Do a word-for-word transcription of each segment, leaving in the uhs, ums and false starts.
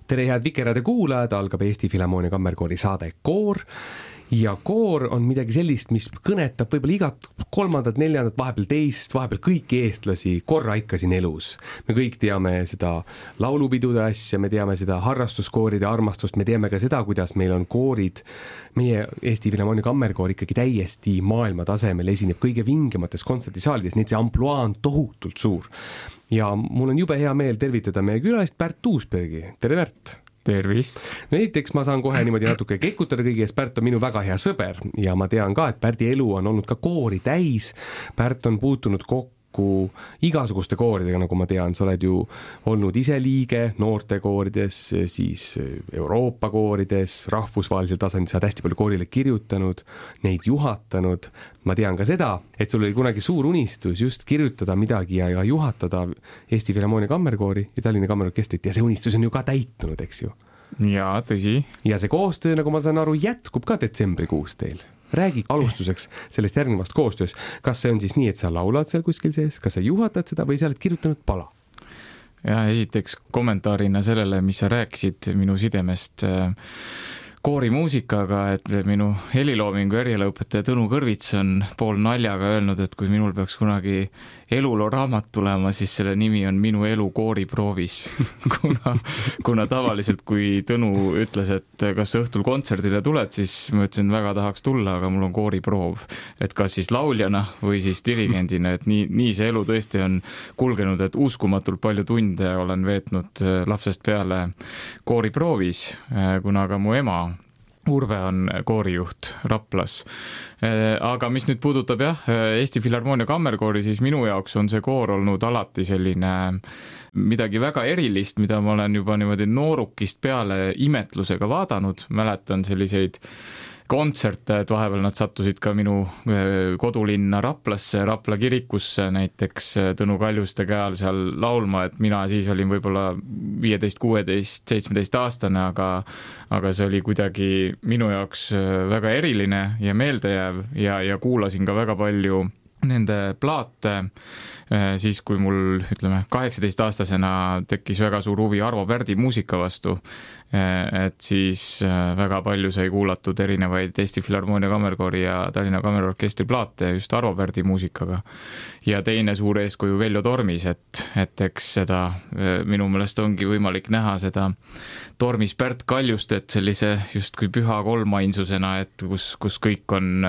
tere, head Vikerraadio kuulajad, algab Eesti Filharmoonia Kammerkoori saade Koor ja koor on midagi sellist, mis kõnetab võib-olla igat kolmandat, neljandat, vahepeal teist, vahepeal kõiki eestlasi korra ikka siin elus. Me kõik teame seda laulupidude asja, me teame seda harrastuskooride armastust, me teame ka seda, kuidas meil on koorid, meie Eesti Filharmoonia Kammerkoor ikkagi täiesti maailma tasemel esineb kõige vingemates kontserdisaalides, nii et see ampluaa on tohutult suur. Ja mul on jube hea meel tervitada meie külalist Pärt Uusbergi. Tere, Pärt! Tervist! No esiteks ma saan kohe niimoodi natuke kekutada kõigi ees. Pärt on minu väga hea sõber ja ma tean ka, et Pärdi elu on olnud ka koori täis. Pärt on puutunud kokku igasuguste kooridega, nagu ma tean. Sa oled ju olnud ise liige noortekoorides, siis Euroopa koorides, rahvusvahelisel tasandil. Sa oled hästi palju koorile kirjutanud, neid juhatanud. Ma tean ka seda, et sul oli kunagi suur unistus just kirjutada midagi ja, ja juhatada Eesti Filharmoonia Kammerkoori ja Tallinna Kammerorkestrit ja see unistus on ju ka täitunud, eks ju? Jaa, tõsi. Ja see koostöö, nagu ma saan aru, jätkub ka detsembrikuus teil. Räägi alustuseks sellest järgnevast koostöös. Kas see on siis nii, et sa laulad seal kuskil sees? Kas sa juhatad seda või sa oled kirjutanud pala? Ja esiteks kommentaarina sellele, mis sa rääkisid minu sidemest koorimuusikaga, et minu heliloomingu erialaõpetaja Tõnu Kõrvits on pool naljaga öelnud, et kui minul peaks kunagi eluloo raamat tulema, siis selle nimi on Minu elu kooriproovis. kuna, kuna tavaliselt, kui Tõnu ütles, et kas õhtul kontserdile tuled, siis ma ütlesin, väga tahaks tulla, aga mul on kooriproov. Et kas siis lauljana või siis dirigendina, et nii, nii see elu tõesti on kulgenud, et uskumatult palju tunde olen veetnud lapsest peale kooriproovis, kuna ka mu ema Urve on koorijuht Raplas. Aga mis nüüd puudutab jah, Eesti Filharmoonia Kammerkoori, siis minu jaoks on see koor olnud alati selline midagi väga erilist, mida ma olen juba niimoodi noorukist peale imetlusega vaadanud. Mäletan selliseid kontserte, et vahepeal nad sattusid ka minu kodulinna Raplasse, Rapla kirikusse näiteks Tõnu Kaljuste käel seal laulma, et mina siis olin võib-olla viieteist, kuueteist, seitsmeteist aastane, aga, aga see oli kuidagi minu jaoks väga eriline ja meeldejääv ja, ja kuulasin ka väga palju nende plaate siis, kui mul, ütleme, kaheksateist aastasena tekkis väga suur huvi Arvo Pärdi muusika vastu, et siis väga palju sai kuulatud erinevaid Eesti Filharmoonia Kammerkoori ja Tallinna Kammerorkestri plaate just Arvo Pärdi muusikaga. Ja teine suur eeskuju Veljo Tormis, et, et eks seda minu meelest ongi võimalik näha seda Tormis Pärt Kaljustet sellise justkui püha kolmainsusena, et kus, kus kõik on,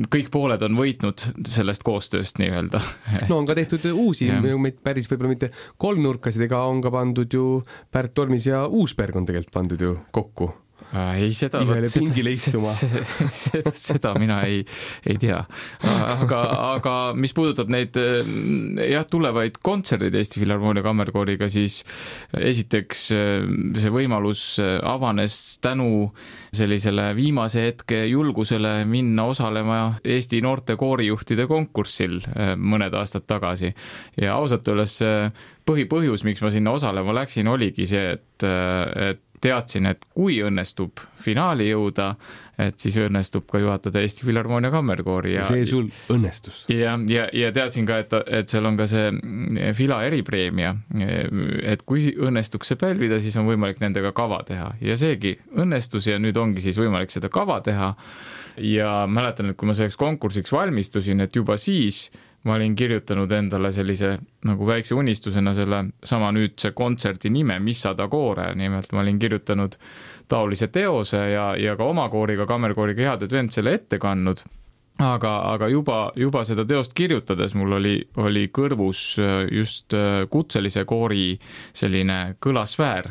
kõik pooled on võitnud sellest koostööst nii-öelda. No on ka tehtud uusi, meid päris võib-olla mitte kolmnurkasid, ega on ka pandud ju Pärt Tormis ja Uusberg on tegelikult pandud ju kokku. Ei, seda, seda, seda, seda, seda mina ei, ei tea. Aga, aga mis puudutab neid jah, tulevaid kontserdid Eesti Filharmoonia Kammerkooriga, siis esiteks see võimalus avanes tänu sellisele viimase hetke julgusele minna osalema Eesti noorte koorijuhtide konkursil mõned aastad tagasi. Ja ausalt öeldes põhipõhjus, miks ma sinna osalema läksin, oligi see, et, et teadsin, et kui õnnestub finaali jõuda, et siis õnnestub ka juhatada Eesti Filharmoonia Kammerkoori. Ja see sul õnnestus. Ja, ja, ja teadsin ka, et, et seal on ka see Fila eripreemia, et kui õnnestuks see pälvida, siis on võimalik nendega kava teha. Ja seegi õnnestus ja nüüd ongi siis võimalik seda kava teha. Ja mäletan, et kui ma selleks konkursiks valmistusin, et juba siis ma olin kirjutanud endale sellise nagu väikse unistusena selle sama nüüdse kontserdi nime, Mis sada koore. Nimelt ma olin kirjutanud taolise teose ja, ja ka oma kooriga, kammerkooriga Head Advent selle ette kannud. Aga, aga juba, juba seda teost kirjutades mul oli, oli kõrvus just kutselise koori selline kõlasfäär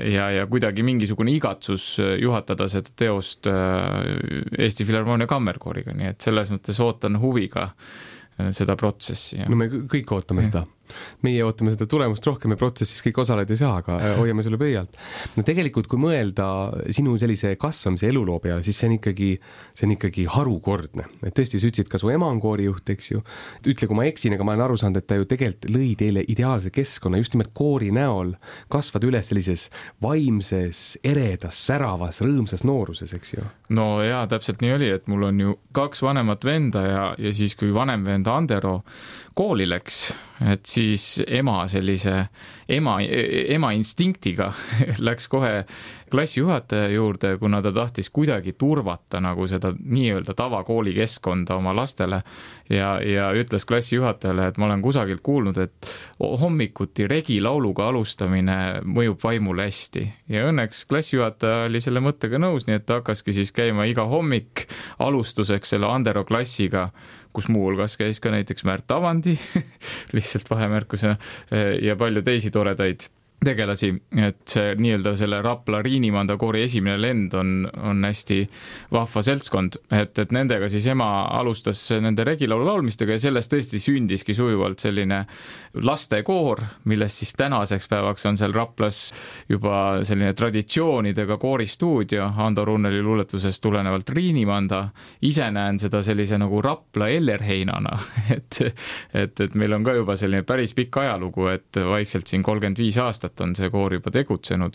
ja, ja kuidagi mingisugune igatsus juhatada seda teost Eesti Filharmoonia Kammerkooriga. Nii et selles mõttes ootan huviga seda protsessi. No me kõik ootame seda. Meie ootame seda tulemust rohkem ja protsessis kõik osaleda ei saa, aga hoiame sulle pöialt. No tegelikult, kui mõelda sinu sellise kasvamise eluloo peale, siis see on ikkagi, see on ikkagi harukordne. Et tõesti, sa ütlesid ka su ema on koorijuht, eks ju. Ütle, kui ma eksin, aga ma olen aru saanud, et ta ju tegelikult lõi teile ideaalse keskkonna just nimelt koori näol kasvada üles sellises vaimses, eredas, säravas, rõõmsas nooruses, eks ju. No jaa, täpselt nii oli, et mul on ju kaks vanemat venda ja, ja siis kui vanem venda Andero kooli läks, et siis ema sellise ema, ema instinktiga läks kohe klassijuhataja juurde, kuna ta tahtis kuidagi turvata nagu seda nii-öelda tavakooli keskkonda oma lastele ja, ja ütles klassijuhatajale, et ma olen kusagilt kuulnud, et hommikuti regilauluga alustamine mõjub vaimule hästi. Ja õnneks klassijuhataja oli selle mõttega nõus, nii et ta hakkaski siis käima iga hommik alustuseks selle Andero klassiga, kus muulgas käis ka näiteks Märt Avandi, lihtsalt vahemärkusena, ja palju teisi toredaid tegelasi, et see nii-öelda selle Rapla Riinimanda koori esimene lend on, on hästi vahva seltskond, et, et nendega siis ema alustas nende regilaulu laulmistega ja sellest tõesti sündiski sujuvalt selline lastekoor, millest siis tänaseks päevaks on seal Raplas juba selline traditsioonidega kooristuudio Ando Runneli luuletusest tulenevalt Riinimanda. Ise näen seda sellise nagu Rapla Ellerheinana, et, et, et meil on ka juba selline päris pikk ajalugu, et vaikselt siin kolmkümmend viis aastat on see koor juba tegutsenud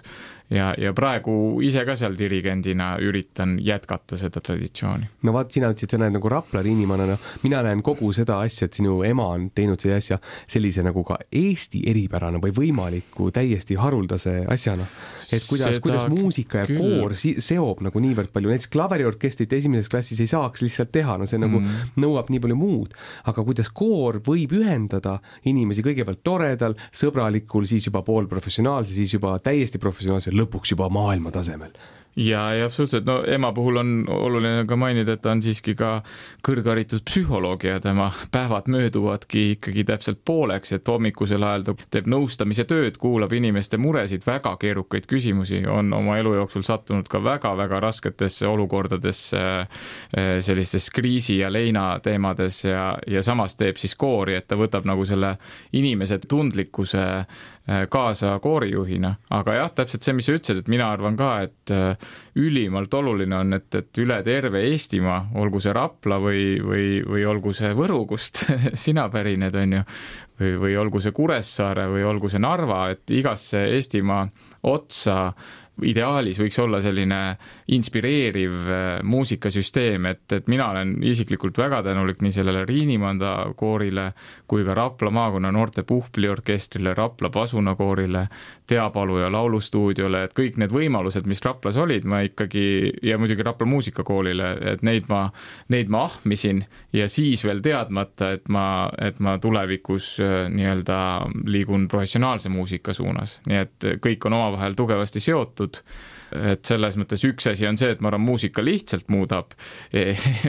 ja, ja praegu ise ka seal dirigendina üritan jätkata seda traditsiooni. No vaat, sina ütlesid, sa näed nagu Rapla Riinimannana, mina näen kogu seda asja, et sinu ema on teinud see asja sellise nagu ka Eesti eripärana või võimaliku täiesti haruldase asjana. Et kuidas, kuidas muusika ja küll. Koor seob nagu niivõrd palju, näiteks klaveriorkestrit esimeses klassis ei saaks lihtsalt teha, no see nagu mm. nõuab nii palju muud, aga kuidas koor võib ühendada inimesi kõigepealt toredal, sõbralikul, siis juba pool professionaalse, siis juba täiesti professionaalse, lõpuks juba maailma tasemel. Ja, ja absoluutselt, no ema puhul on oluline ka mainida, et ta on siiski ka kõrgharitud psühholoog ja tema päevad mööduvadki ikkagi täpselt pooleks, et hommikusel ajal ta teeb nõustamise tööd, kuulab inimeste muresid, väga keerukaid küsimusi, on oma elu jooksul sattunud ka väga-väga rasketesse olukordadesse sellistes kriisi ja leina teemades ja, ja samas teeb siis koori, et ta võtab nagu selle inimese tundlikkuse kaasa koorijuhina, aga jah, täpselt see, mis sa ütlesid, et mina arvan ka, et ülimalt oluline on, et, et üle terve Eestimaa, olgu see Rapla või, või, või olgu see Võru, kust sina pärined on ju, või, või olgu see Kuressaare või olgu see Narva, et igasse Eestimaa otsa ideaalis võiks olla selline inspireeriv muusikasüsteem, et, et mina olen isiklikult väga tänulik nii sellele Riinimanda koorile kui ka Rapla maakonna noorte puhpliorkestrile, Rapla pasunakoorile, Teapalu ja laulustuudiole, et kõik need võimalused, mis Raplas olid, ma ikkagi, ja muidugi Rapla muusikakoolile, et neid ma, neid ma ahmisin ja siis veel teadmata, et ma, et ma tulevikus nii-öelda liigun professionaalse muusika suunas. Nii et kõik on omavahel tugevasti seotud, et selles mõttes üks asi on see, et ma arvan, muusika lihtsalt muudab,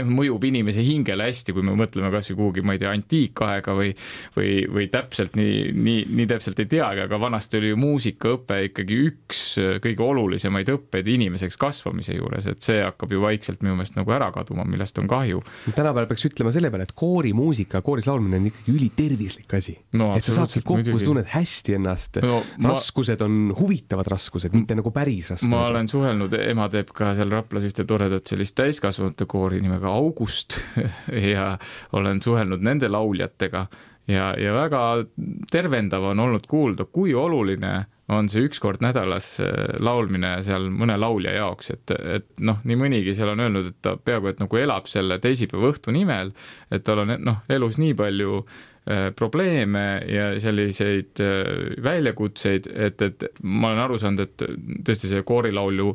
mõjub inimese hingele hästi, kui me mõtleme kas või kuhugi, ma ei tea, antiikaega või, või, või täpselt nii, nii, nii täpselt ei teagi, aga vanasti oli ju muusikaõpe ikkagi üks kõige olulisemaid õppeid inimeseks kasvamise juures, et see hakkab ju vaikselt minu meelest nagu ära kaduma, millest on kahju. Tänapäeval peaks ütlema selle peale, et koorimuusika, kooris laulmine on ikkagi ülitervislik asi. No, et sa saad kokku, tunned hästi ennast. No, raskused ma... on huvitavad raskused, mitte nagu päris raskused. Ma olen suhelnud, ema teeb ka seal Raplas ühte toredat sellist täiskasvanute koori nimega August ja olen suhelnud nende lauljatega ja, ja väga tervendav on olnud kuulda, kui oluline on see üks kord nädalas laulmine seal mõne laulja jaoks, et, et noh, nii mõnigi seal on öelnud, et ta peaaegu et nagu elab selle teisipäeva õhtu nimel, et tal on noh, elus nii palju probleeme ja selliseid väljakutseid, et, et ma olen aru saanud, et tõesti see koorilaulju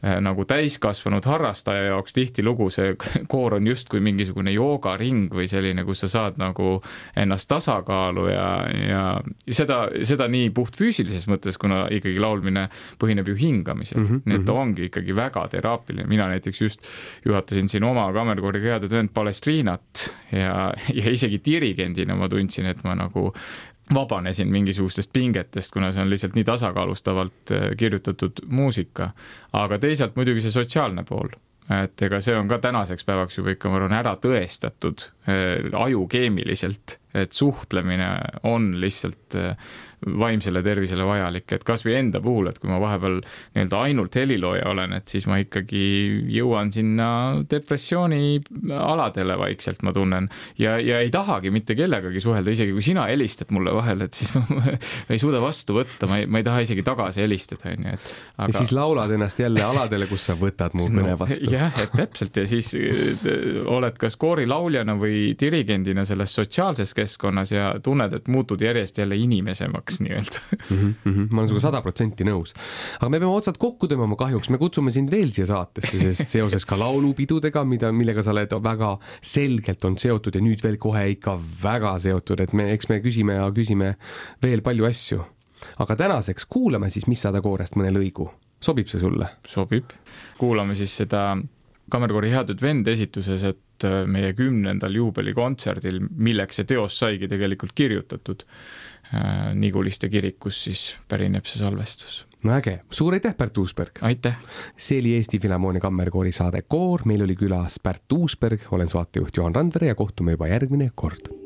nagu täiskasvanud harrastaja jaoks tihti lugu, see koor on just kui mingisugune joogaring või selline, kus sa saad nagu ennast tasakaalu ja, ja seda, seda nii puht füüsilises mõttes, kuna ikkagi laulmine põhineb ju hingamisel. Mm -hmm. Nii et ta ongi ikkagi väga teraapiline. Mina näiteks just juhatasin siin oma kammerkooriga head töönd Palestriinat ja, ja isegi dirigendina ma tundsin, et ma nagu vabanesin mingisugustest pingetest, kuna see on lihtsalt nii tasakaalustavalt kirjutatud muusika. Aga teisalt muidugi see sotsiaalne pool. Et ega see on ka tänaseks päevaks juba ikka, ma arvan, ära tõestatud ajukeemiliselt, et suhtlemine on lihtsalt vaimsele tervisele vajalik, et kas või enda puhul, et kui ma vahepeal nii-öelda ainult helilooja olen, et siis ma ikkagi jõuan sinna depressiooni aladele vaikselt, ma tunnen, ja, ja ei tahagi mitte kellegagi suhelda, isegi kui sina helistad mulle vahel, et siis ma ei suuda vastu võtta, ma ei, ma ei taha isegi tagasi helistada. Et, aga... Ja siis laulad ennast jälle aladele, kus sa võtad mu kõne vastu. No, jah, et täpselt, ja siis oled kas koorilauljana või dirigendina selles sotsiaalses tööstuskeskkonnas ja tunned, et muutud järjest jälle inimesemaks nii-öelda. Mm -hmm, ma olen suga sada protsenti nõus. Aga me peame otsad kokku tõmbama kahjuks, me kutsume sind veel siia saatesse, sest seoses ka laulupidudega, mida, millega sa oled väga selgelt on seotud ja nüüd veel kohe ikka väga seotud, et me, eks me küsime ja küsime veel palju asju. Aga tänaseks kuulame siis Mis sada koorest mõne lõigu. Sobib see sulle? Sobib. Kuulame siis seda Kammerkoori Headud vend esituses, et meie kümnendal juubelikontserdil, milleks see teos saigi tegelikult kirjutatud Niguliste kirikus, siis pärineb see salvestus. No äge. Suur aitäh, Pärt Uusberg! Aitäh! See oli Eesti Filharmoonia Kammerkoori saade Koor. Meil oli külas Pärt Uusberg, olen saatejuht Juhan Randvere ja kohtume juba järgmine kord.